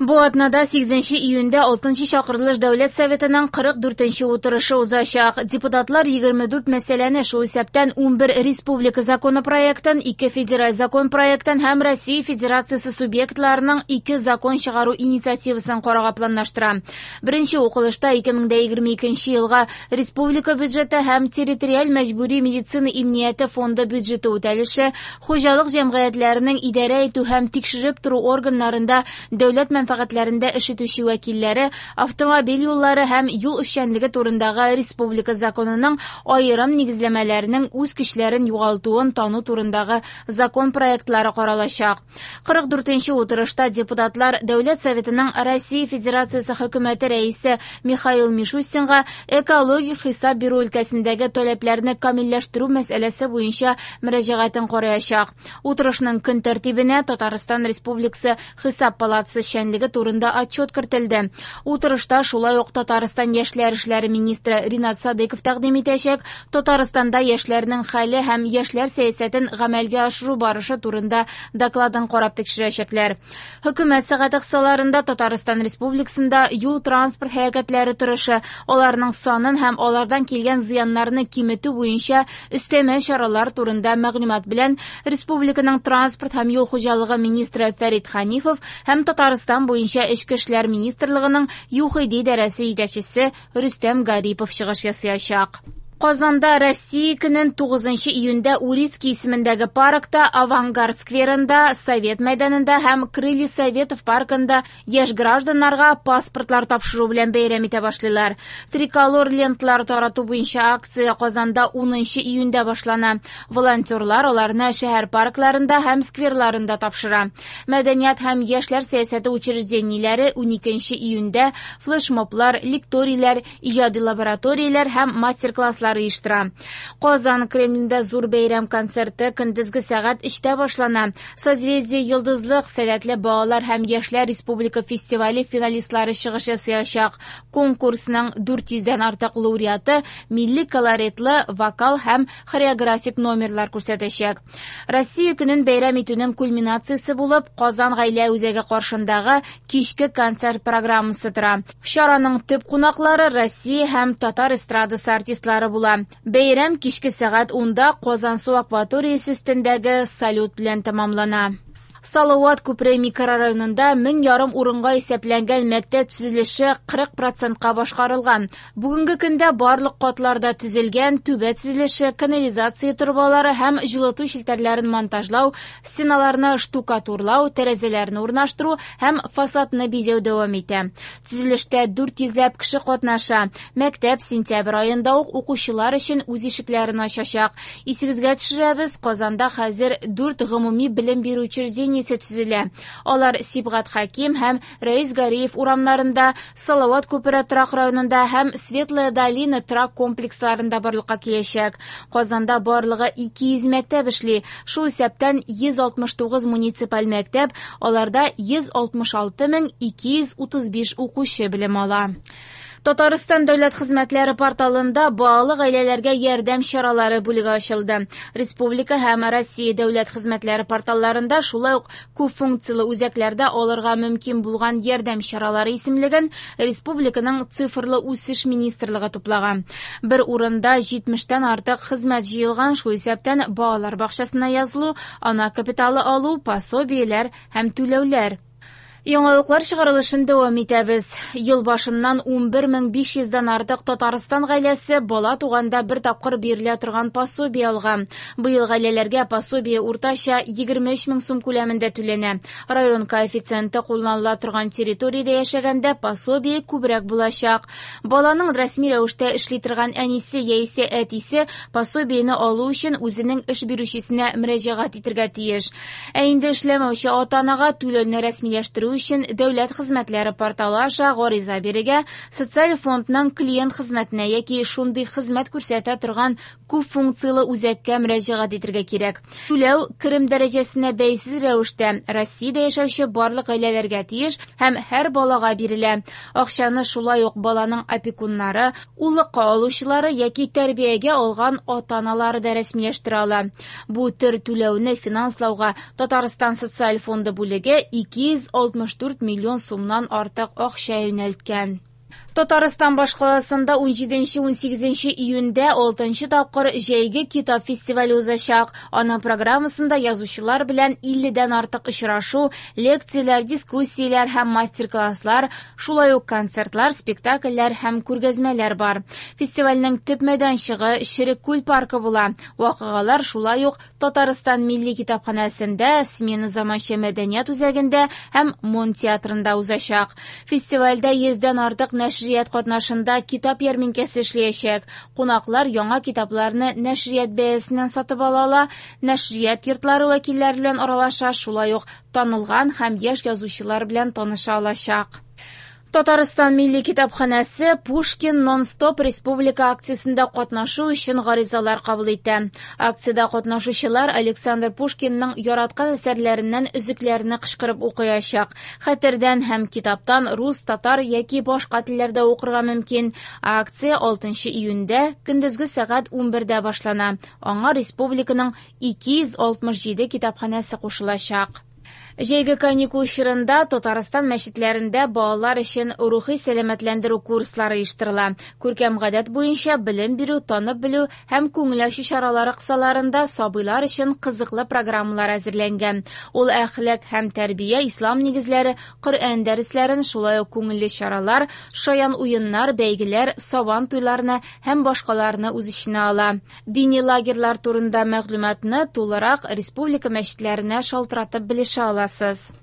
Бу атнада 8 июньдә 6 чакырылыш Дәүләт Советының 44 утырышы узачак. Депутатлар 24 мәсьәләне, шул исәптән 11 республика законопроектын, 2 федераль закон проектын һәм Россия Федерациясе субъектларының 2 закон чыгару инициативасын карарга планлаштыра. Беренче укылышта 2022 елга республика бюджеты һәм территориаль мәҗбүри медицина иминияте фонды бюджеты үтәлеше, хуҗалык җәмгыятьләренең идарә итү һәм тикшереп тору органнарында дәүләт мәнфәгатьләрендә эш итүче вәкилләре, автомобиль юллары һәм юл эшчәнлеге турындагы республика законының аерым нигезләмәләренең үз көчләрен югалтуын тану турындагы закон проектлары каралачак. 44-нче утырышта депутатлар Дәүләт Советының Россия Федерациясе Хөкүмәте Рәисе Михаил Мишустинга экологик хисап бирү өлкәсендәге таләпләрне камилләштерү мәсьәләсе буенча мөрәҗәгатен караячак. Утырышның көн тәртибенә Татарстан Республикасы Хисап палатасы эшчәнлеге турында отчет кертелде. Утырышта шулай ук Татарстан яшьләр эшләре министры Ринат Садыйков тәкъдим итәчәк Татарстанда яшьләрнең хәле һәм яшьләр сәясәтен гамәлгә ашыру барышы турында докладын карап тикшерәчәкләр. Хөкүмәт сәгате кысаларында Татарстан Республикасында юл-транспорт һәлакәтләре торышы, аларның санын һәм алардан килгән зыяннарны киметү буенча өстәмә чаралар турында мәгълүмат белән республиканың транспорт һәм юл хуҗалыгы министры Фәрит Ханифов һәм Татарстан буенча Эчке эшләр министрлыгының ЮХИДИ идарәсе җитәкчесе Рөстәм Гарипов чыгыш ясаячак. Казанда Россия көнен 9 июньдә Урицкий исемендәге паркта, Авангард скверында, Совет мәйданында һәм Крылья Советов паркында яшь гражданнарга паспортлар тапшыру белән бәйрәм итә башлыйлар. Триколор ленталар тарату буенча акция Казанда 10 июньдә башлана. Волонтерлар аларны шәһәр паркларында һәм скверларында тапшыра. Мәдәният һәм яшьләр сәясәте учреждениеләре 12 июньдә флешмоблар, лекторийлар, иҗади лабораторияләр һәм мастер-класслар оештыра. Казан Кремлендә зур бәйрәм концерты көндезге сәгать 3-тә башлана. Созвездие Йолдызлык сәләтле балалар һәм яшьләр республика фестивале финалистлары чыгыш ясаячак. Конкурсның 400дән артык лауреаты милли колоритлы вокал һәм хореографик номерлар күрсәтәчәк. Россия көнен бәйрәм итүнең кульминациясе булып Казан гаилә үзәге каршындагы кичке концерт программасы тора. Чараның төп кунаклары Россия һәм татар эстрадасы артистлары була. Бәйрәм кичке сәгать 10-да Казансу акваториясе өстендәге салют белән тәмамлана. Салават күпере микрорайонында 1500 урынга исәпләнгән мәктәп төзелеше 40%-ка башкарылган. Бүгенге көндә барлык катларда төзелгән түбә төзелеше, канализация торбалары һәм җылыту челтәрләрен монтажлау, стеналарны штукатурлау, тәрәзәләрне урнаштыру һәм фасадны бизәү дәвам итә. Төзелештә 400ләп кеше катнаша. Мәктәп сентябрь аенда ук укучылар өчен үз ишекләрен ачачак. Исегезгә төшерәбез, Казанда хәзер 4 гомуми белем бирү учреждениесе төзелә. Алар Сибгат Хәким һәм Рәис Гариев урамнарында, Салават күпере торак районында һәм Светлая долина торак комплексларында барлыкка киләчәк. Казанда барлыгы 200 мәктәп эшли. Шул исәптән 169 муниципаль мәктәп, аларда 166 235 укучы белем ала. Татарстан дәүләт хезмәтләре порталында балалы гаиләләргә ярдәм чаралары бүлеге ачылды. Республика һәм Россия дәүләт хезмәтләре порталларында, шулай ук күп функцияле үзәкләрдә алырга мөмкин булган ярдәм чаралары исемлеген республиканың цифрлы үсеш министрлыгы туплаган. Бер урында 70тән артык хезмәт җыелган, шул исәптән балалар бакчасына язылу, ана капиталы алу, пособиеләр һәм түләүләр. Яңалыклар чыгарылышын дәвам итәбез. Ел башыннан 11 500дән артык Татарстан гаиләсе бала туганда бер тапкыр бирелә торган пособие алган. Быел гаиләләргә пособие уртача 23 мең сум күләмендә түләнә. Район коэффициенты кулланыла торган территориядә яшәгәндә пособие күбрәк булачак. Баланың рәсми рәвештә эшли торган әнисе яисә әтисе пособиене алу өчен үзенең эш бирүчесенә мөрәҗәгать итәргә тиеш. Ә инде эшләмәүче ата-анага түләүне рәсмиләштерү өчен дәүләт хезмәтләре порталы аша гариза бирергә, социаль фондның клиент хезмәтенә яки шундый хезмәт күрсәтә торган күп функцияле үзәккә мөрәҗәгать итәргә кирәк. Түләү керем дәрәҗәсенә бәйсез рәвештә Россиядә яшәүче барлык гаиләләргә тиеш һәм һәр балага бирелә. Акчаны шулай ук баланың опекуннары, уллыкка алучылары яки тәрбиягә алган ата-аналары да рәсмиләштерә ала. Бу төр түләүне финанслауга Татарстан социаль фонды бүлеге 260 64 миллион сумнан артык акча юнәлткән. Татарстан башкаласында 17-18 июньдә 6 тапкыр җәйге китап фестивале узачак. Аның программасында язучылар белән 50дән артык очрашу, лекцияләр, дискуссияләр һәм мастер-класслар, шулай ук концертлар, спектакльләр һәм күргәзмәләр бар. Фестивальнең төп мәйданчыгы Черек күл паркы була. Вакыйгалар шулай ук Татарстан Милли китапханәсендә, Смена заманча мәдәният үзәгендә һәм Мон театрында узачак. Фестивальдә 100дән артык нәшрият катнашында китап ярминкәсе эшләячәк. Кунаклар яңа китапларны нәшрият бәясеннән сатып ала ала, нәшрият йортлары вәкилләре белән аралаша, шулай ук танылган һәм яшь язучылар белән таныша алачак. Татарстан Милли китапханәсе Пушкин нон-стоп республика акциясендә катнашу өчен гаризалар кабул итә. Акциядә катнашучылар Александр Пушкинның яраткан әсәрләреннән өзекләрне кычкырып укыячак. Хәтердән һәм китаптан рус, татар яки башка телләрдә укырга мөмкин. Акция 6 июньдә көндезге сәгать 11дә башлана. Аңа республиканың 267 китапханәсе кушылачак. Җәйге каникул чорында Татарстан мәчетләрендә балалар өчен рухи сәламәтләндерү курслары оештырыла. Күркәм гадәт буенча белем бирү, танып белү һәм күңел ачу чаралары кысаларында сабыйлар өчен кызыклы программалар әзерләнгән. Ул әхлак һәм тәрбия, ислам нигезләре, Коръән дәресләрен, шулай ук күңелле чаралар, шаян уеннар, бәйгеләр, сабан туйларны һәм башкаларны үз эченә ала. Дини лагерьлар турында мәгълүматны тулырак республика мәчетләренә шалтыратып белешә аласыз.